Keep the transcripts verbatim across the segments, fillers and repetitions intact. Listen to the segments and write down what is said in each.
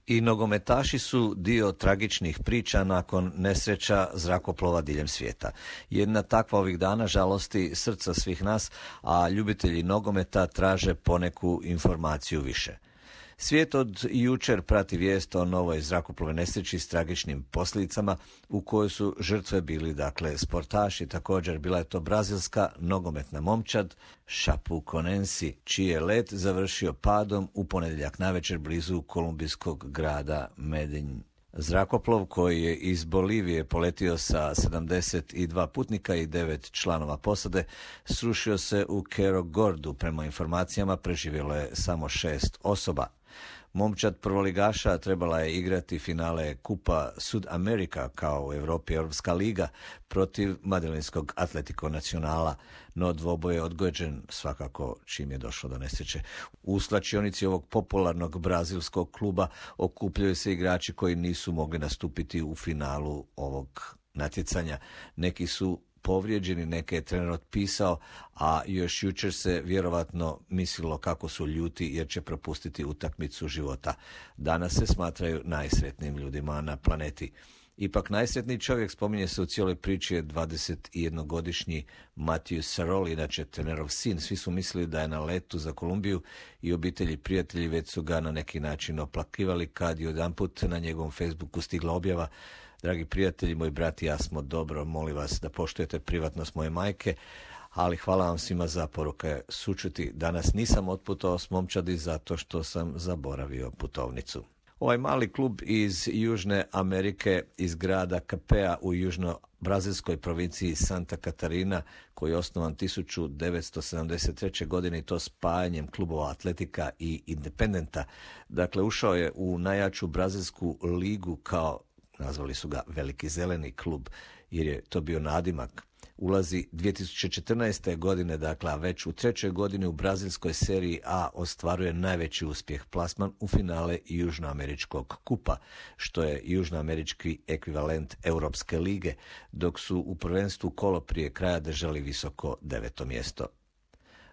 I nogometaši su dio tragičnih priča nakon nesreća zrakoplova diljem svijeta. Jedna takva ovih dana žalosti srca svih nas, a ljubitelji nogometa traže poneku informaciju više. Svijet od jučer prati vijest o novoj zrakoplovnoj nesreći s tragičnim posljedicama u kojoj su žrtve bili, dakle, sportaši. Također bila je to brazilska nogometna momčad Chapecoense, čiji je let završio padom u ponedjeljak navečer blizu kolumbijskog grada Medellin. Zrakoplov koji je iz Bolivije poletio sa sedamdeset dva putnika i devet članova posade srušio se u Cerro Gordu. Prema informacijama preživjelo je samo šest osoba. Momčad prvoligaša trebala je igrati finale Kupa Sudamerika kao u Europi Europska liga protiv Madrilenskog Atletico Nacionala, no dvoboj je odgođen svakako čim je došlo do nesreće. U slačionici ovog popularnog brazilskog kluba okupljaju se igrači koji nisu mogli nastupiti u finalu ovog natjecanja. Neki su povrijeđeni, neke je trener otpisao, a još jučer se vjerovatno mislilo kako su ljuti jer će propustiti utakmicu života. Danas se smatraju najsretnijim ljudima na planeti. Ipak najsretniji čovjek, spominje se u cijeloj priči, je dvadesetjednogodišnji Matthew Saroli, inače trenerov sin. Svi su mislili da je na letu za Kolumbiju i obitelji i prijatelji već su ga na neki način oplakivali kad je jedanput na njegovom Facebooku stigla objava: dragi prijatelji, moj brat i ja smo dobro, molim vas da poštujete privatnost moje majke, ali hvala vam svima za poruke sućuti. Danas nisam otputovao s momčadi zato što sam zaboravio putovnicu. Ovaj mali klub iz Južne Amerike, iz grada Capea u južno-brazilskoj provinciji Santa Catarina, koji je osnovan tisuću devetsto sedamdeset treće. godine i to spajanjem klubova Atletika i Independenta. Dakle, ušao je u najjaču brazilsku ligu kao, nazvali su ga Veliki zeleni klub, jer je to bio nadimak. Ulazi dvije tisuće četrnaeste. godine, dakle, a već u trećoj godini u brazilskoj seriji A ostvaruje najveći uspjeh, plasman u finale Južnoameričkog kupa, što je južnoamerički ekvivalent Europske lige, dok su u prvenstvu kolo prije kraja držali visoko deveto mjesto.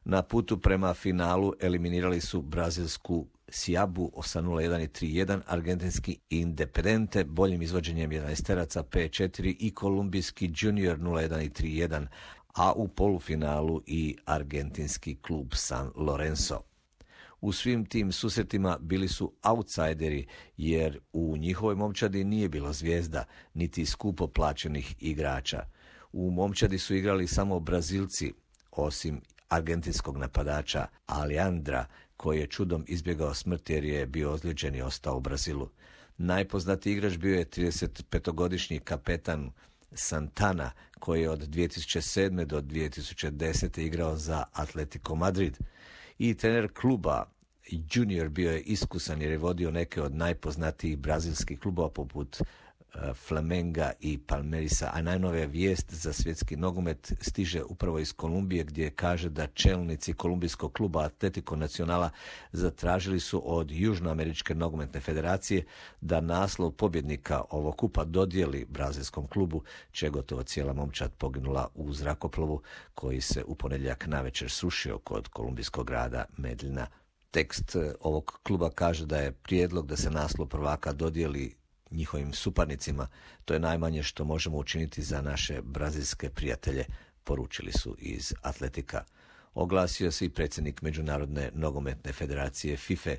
Na putu prema finalu eliminirali su brazilsku Siabu osam nula jedan i tri jedan, argentinski Independente boljim izvođenjem jedanaesteraca pet četiri i kolumbijski Junior nula jedan i tri jedan, a u polufinalu i argentinski klub San Lorenzo. U svim tim susretima bili su outsideri jer u njihovoj momčadi nije bilo zvijezda niti skupo plaćenih igrača. U momčadi su igrali samo Brazilci, osim argentinskog napadača Alejandra, koji je čudom izbjegao smrt jer je bio ozlijeđen i ostao u Brazilu. Najpoznatiji igrač bio je tridesetpetogodišnji kapetan Santana, koji je od dvije tisuće sedme. do dvije tisuće desete. igrao za Atletico Madrid. I trener kluba Junior bio je iskusan jer je vodio neke od najpoznatijih brazilskih klubova poput Flamenga i Palmeirasa, a najnovija vijest za svjetski nogomet stiže upravo iz Kolumbije, gdje kaže da čelnici kolumbijskog kluba Atletico Nacionala zatražili su od Južnoameričke nogometne federacije da naslov pobjednika ovog kupa dodijeli brazilskom klubu, čija je gotovo cijela momčad poginula u zrakoplovu koji se u ponedjeljak navečer srušio kod kolumbijskog grada Medellina. Tekst ovog kluba kaže da je prijedlog da se naslov prvaka dodijeli njihovim suparnicima, to je najmanje što možemo učiniti za naše brazilske prijatelje, poručili su iz Atletika. Oglasio se i predsjednik Međunarodne nogometne federacije FIFA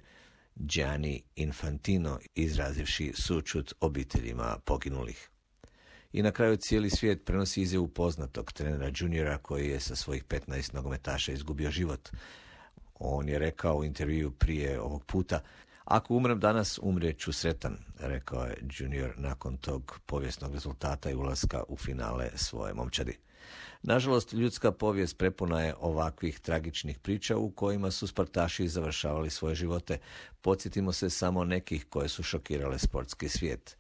Gianni Infantino, izrazivši sućut obiteljima poginulih. I na kraju cijeli svijet prenosi izjavu poznatog trenera Juniora koji je sa svojih petnaest nogometaša izgubio život. On je rekao u intervju prije ovog puta: ako umrem danas, umrijet ću sretan, rekao je Junior nakon tog povijesnog rezultata i ulaska u finale svoje momčadi. Nažalost, ljudska povijest prepuna je ovakvih tragičnih priča u kojima su sportaši završavali svoje živote. Podsjetimo se samo nekih koje su šokirale sportski svijet.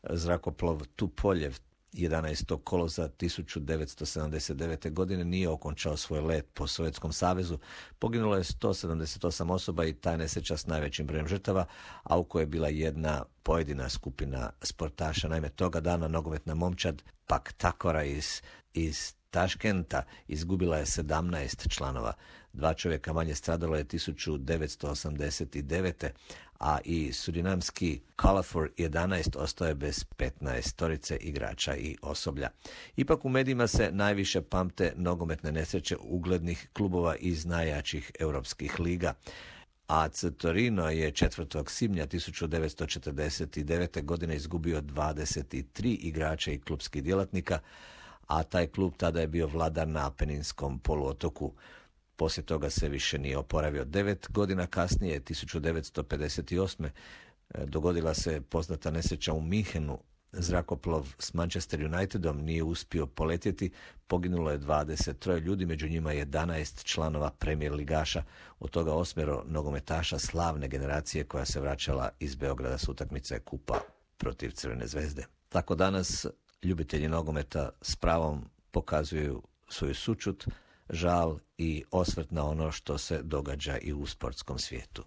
Zrakoplov Tupoljev jedanaestog kolovoza tisuću devetsto sedamdeset devete. godine nije okončao svoj let po Sovjetskom savezu. Poginulo je sto sedamdeset osam osoba i ta nesreća s najvećim brojem žrtava, a u kojoj je bila jedna pojedina skupina sportaša. Naime, toga dana nogometna momčad Pak Takora iz, iz Taškenta izgubila je sedamnaest članova. Dva čovjeka manje stradalo je tisuću devetsto osamdeset devete. a i surinamski Calafor jedanaest ostao je bez petnaest torice igrača i osoblja. Ipak u medijima se najviše pamte nogometne nesreće uglednih klubova iz najjačih europskih liga. A C Torino je četvrtog svibnja tisuću devetsto četrdeset devete. godine izgubio dvadeset tri igrača i klubskih djelatnika, a taj klub tada je bio vladar na Apeninskom poluotoku. Poslije toga se više nije oporavio. Devet godina kasnije, tisuću devetsto pedeset osme. dogodila se poznata nesreća u Minhenu. Zrakoplov s Manchester Unitedom nije uspio poletjeti, poginulo je dvadeset tri ljudi, među njima jedanaest članova Premier ligaša, od toga osmero nogometaša slavne generacije koja se vraćala iz Beograda s utakmice kupa protiv Crvene zvezde. Tako danas ljubitelji nogometa s pravom pokazuju svoju sućut, žal i osvrt na ono što se događa i u sportskom svijetu.